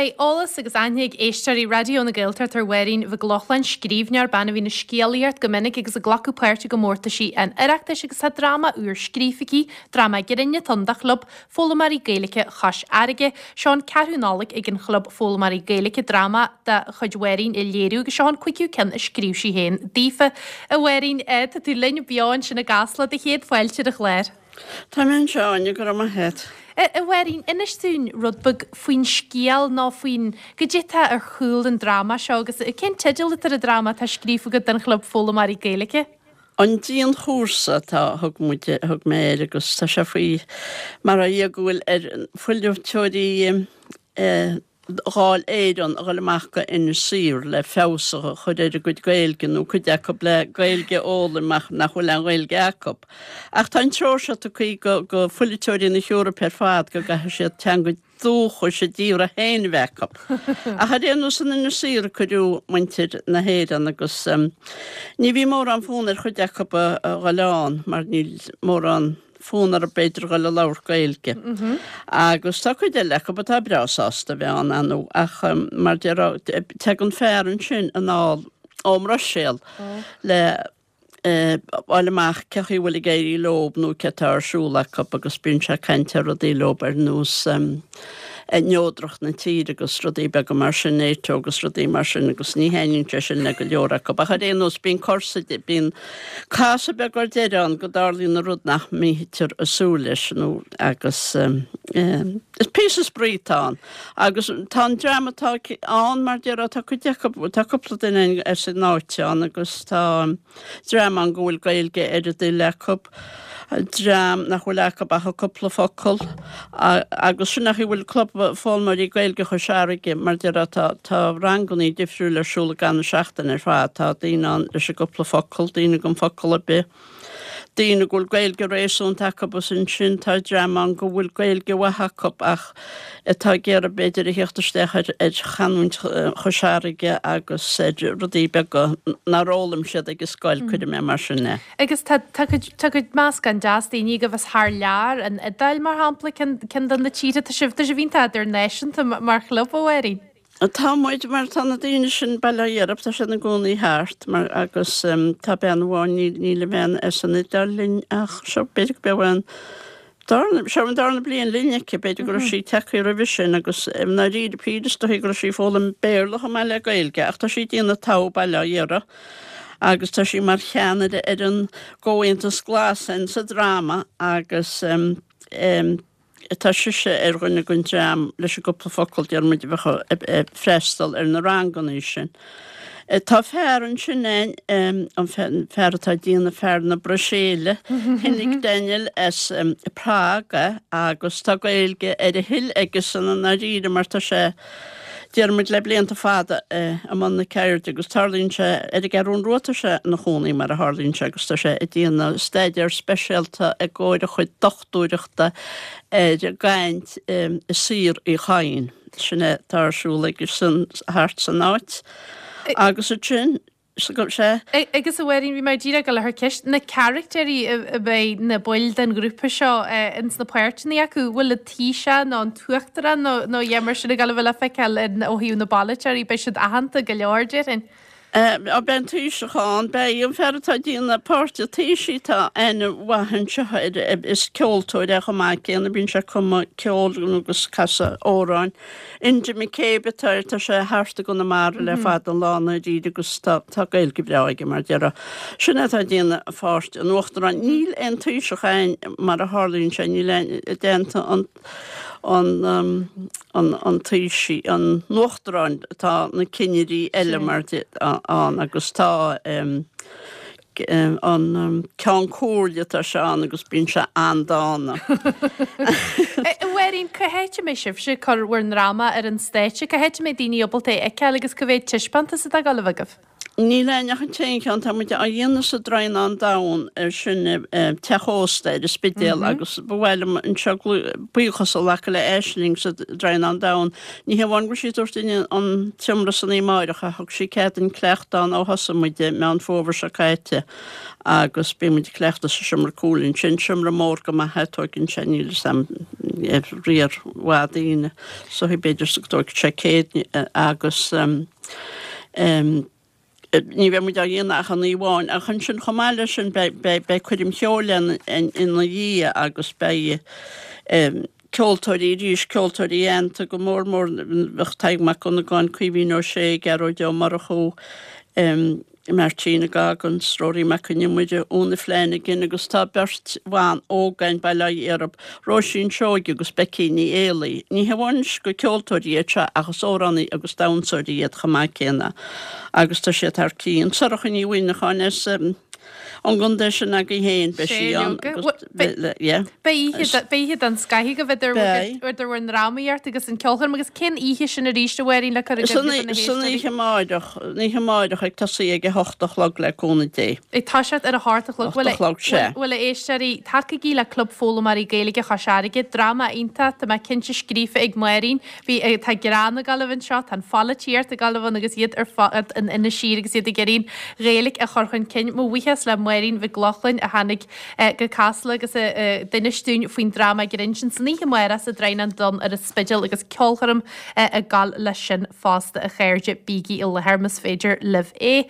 Beidh eolas agus aithne ag éisteoirí Raidió na Gaeltachta ar Mháirín Mhic Lochlainn, scríbhneoir, bean a bhíonn ag scéalaíocht go minic agus ag glacadh páirt i gcomórtaisí an Oireachtais agus tá dráma úr scríofa aici, dráma grinn atá ann do Chlub Foghlaimeoirí Gaeilge Chois Fharraige. Seo an ceathrú Nollaig ag an Chlub Foghlaimeoirí Gaeilge dráma de chuid Mháirín a léiriú agus seo an cúigiú ceann a scríobh sí féin daofa. A Mháirín, tá tú linn beo ansin i gCasla, do chéad fáilte ar an chlár. Tá mé anseo, Áine, go raibh maith agat. A Mháirín, inis dúinn rud beag faoin scéal nó faoin, goidé atá ar chúl an dráma seo agus cén teideal atá ar an dráma atá scríofa agat don Chlub Foghlaimeoirí Gaeilge? An Dianchúrsa atá, thug muid, thug mé air agus tá sé faoi mar a dhia go bhfuil ar pholaiteoirí Dháil Éireann a dhul amach go Inis Oírr le feabhas a chur ar a gcuid Gaeilge nó cuid acu le Gaeilge a fhoghlaim ach nach bhfuil aon Ghaeilge acu. Ach tá an treoir seo tugtha go go pholaiteoirí na hEorpa ar fad go gcaithfidh siad teanga dúchais a dtíortha féin a bheith acu. Ach ar aon nós in Inis Oírr a cuireadh muintir na hÉireann agus ní bhí mórán fonn ar chuid acu a dhul ann mar níl mórán fonn orthu b'fhéidir a dhul a labhairt Gaeilge. Agus tá cuid eile acu atá breá sásta a bheith ann ar ndóigh ach mar déarfá tagann fear ansin anall ón mBruiséil le fháil amach cé chaoi a bhfuil ag éirí leob nó cé atá ar siúl acu agus bíonn sé ag caint ar rudaí leob ar nós neodracht na tíre agus rudaí beaga mar sin, NATO agus rudaí mar sin agus ní thaitníonn sé sin le go leor acu. Ach ar aon nós bíonn cor sa, bíonn casadh beag ar deireadh ann go dtarlaíonn rud nach mbítear ag súil leis nó agus is píosa spraoi atá ann. Agus tá an dream atá ann mar déarfá tá cuid acu, tá cúpla duine as an áit ann agus tá dream ann go bhfuil Gaeilge ar a dtoil acu, dream nach bhfuil acu ach a cúpla focal agus sin an chaoi a bhfuil Club Foghlaimeoirí Gaeilge Chois Fharraige mar déarfá tá tá rangannaí difriúil ar siúl i gcaitheamh na seachtaine ar fad, tá daoine ann leis an gcúpla focal, daoine gan focal ar bith. daoine go bhfuil Gaeilge réasúnta acu agus ansin tá dream ann go bhfuil Gaeilge mhaith acu ach atá ag iarraidh b'fhéidir a theacht isteach ar ar chanúint Chois Fharraige agus ar rudaí beaga nár fhoghlaim siad ag an scoil, cuirfidh mé mar sin é. Agus tá tá cuid tá cuid meascán deas daoine agaibh as thar lear, an Iodáil mar shampla, ceann ceann de na tíortha, tá sibh tá sibh iontach idirnáisiúnta mar chlub, a Mháirín. Tá muid, mar tá na daoine sin Baile Átha Iarraidh, tá siad ina gcónaí thart, mar agus tá bean amháin, níl, níl an bhean as an Iodáil linn ach seo, b'fhéidir go b'é an darna, seo an darna bliain linn aici, b'fhéidir go raibh sí tagtha roimhe sin agus i ndáiríre píre is dóichí go raibh sí ag foghlaim Béarla chomh maith le Gaeilge ach tá sí ag déanamh togha Baile Átha Iarraidh agus tá sí mar cheannaire ar an gComhaontas Glas sa dráma agus Tá sise ar dhuine den dream leis an gcúpla focal, deir muid, a bheadh ag freastal ar na ranganna sin. Tá fear ansin ann, an fear atá ag déanamh fear na Bruiséile, Hynek Daniel as Prague agus tá Gaeilge ar a thoil aigesan i ndáiríre mar tá sé, deir muid, le blianta fada i mbun na ceirde agus tarlaíonn sé ar an gCeathrú Rua tá sé ina chónaí mar a tharlaíonn sé agus tá sé ag déanamh staidéar speisialta i gcomhair a chuid dochtúireachta ar an gcaint i Saor Uí Chadhain. Sin é atá ar siúl aigesan thart san áit. Agus ansin, sea. Agus a Mháirín, bhí mé díreach ag dul a chur ceist, na caractéirí a bheidh na baill den ghrúpa seo ins na páirteanna acu, bhfuil an Taoiseach nó an tUachtarán nó nó a dhath mar sin ag dul a bheith le feiceáil ó thaobh na bpolaiteoirí, beidh siad aitheanta go leor, déarfainn. Á, beidh an Taoiseach ann, beidh an fear atá ag déanamh páirt an Taoisigh, tá aithne mhaith anseo air, is ceoltóir é chomh maith céanna, bíonn sé ag cumadh ceoil agus casadh amhráin. Enda McCabe atá air, tá sé thart i gConamara le fada an lá i ndáiríre agus tá tá Gaeilge bhreá aige mar déarfá. Sin é atá ag déanamh pháirt an Uachtaráin. Níl aon Taoiseach ann mar a tharlaíonn sé, níl aon déanta an an an Taoisigh, an Uachtaráin, tá na cinnirí eile mar ann agus tá an Ceann Comhairle tá sé ann agus bíonn sé an-dána. A Mháirín, cá háit a mbeidh sibhse ag cur bhur ndráma ar an stáitse? Cá háit a mbeidh daoine ábalta é a fheiceáil agus cá mhéad taispeántas atá ag dul a bheith agaibh? Níl ann ach an t-aon cheann, tá muid á dhéanamh sa Droighneán Donn, sin teach ósta ar an Spidéal agus ba mhaith liom anseo buíochas a ghlacadh le Aisling sa Droighneán Donn. Ní hamháin go bhfuil sí ag tabhairt dúinn an tseomra san oíche amáireach ach thug sí cead dúinn cleachtadh ann ó thosaigh muid i Meán Fómhair seo caite agus bíonn muid ag cleachtadh sa seomra cúil ansin, seomra mór go maith é, tóigeann sé, níl 'fhios a'm, riar mhaith daoine so b'fhéidir go dtóigfeadh sé 100 agus. Ní bheidh muid á dhéanamh ach an oíche amháin, ach ansin chomh maith leis sin beidh coirm cheoil ann ina dhiaidh agus beidh ceoltóirí arís, ceoltóirí aitheanta go mór mór, bheadh Tadhg Mac Dhonnagáin, Caoimhín Ó Sé, Gearóid Ó Murchú, Martina Goggins, Rory Mac Con Iomaire, Úna Flanagan agus tá beirt bhan óg againn, bail ó Dhia orthu, Róisín Seoighe agus Becky Ní Éalaí. Ní hamháin gur ceoltóirí iad seo ach is amhránaí agus damhsóirí iad chomh maith céanna agus tá siad thar cionn. Sorcha Ní Mhuimhneacháin as an gcontae sin agaibh féin, beidh sí ann agus yeah. Beidh oíche den scoth agaibh idir bhur ndrámaíocht agus an ceolchoirm agus cén oíche sin arís a Mháirín le cur i gcuimhne do na héisteoirí? San oíche amáireach, an oíche amáireach ag tosaí ag a hocht a chlog le cúnamh Dé. Ag toiseacht ar a hocht a chlog. 8 a chlog, sea. Bhuel, a éisteoirí, tacaígí le Club Foghlaimeoirí Gaeilge Chois Fharraige, dráma iontach, tá mé cinnte, scríofa ag Máirín. Bhí, tá greann ag gabháil a bheith anseo, tá an pholaitíocht ag gabháil a bheith ann agus iad ar fad in Inis Oírr agus iad ag iarraidh an Ghaeilge a chur chun cinn. Mo bhuíochas le Máirín Mhic Lochlainn a tháinig go Casla agus a d'inis dúinn faoin dráma grinn sin san oíche amárach sa Droighneán Donn ar an Spidéal agus ceolchoirm ag gabháil leis sin fosta a chairde, bígí i láthair más féidir libh é.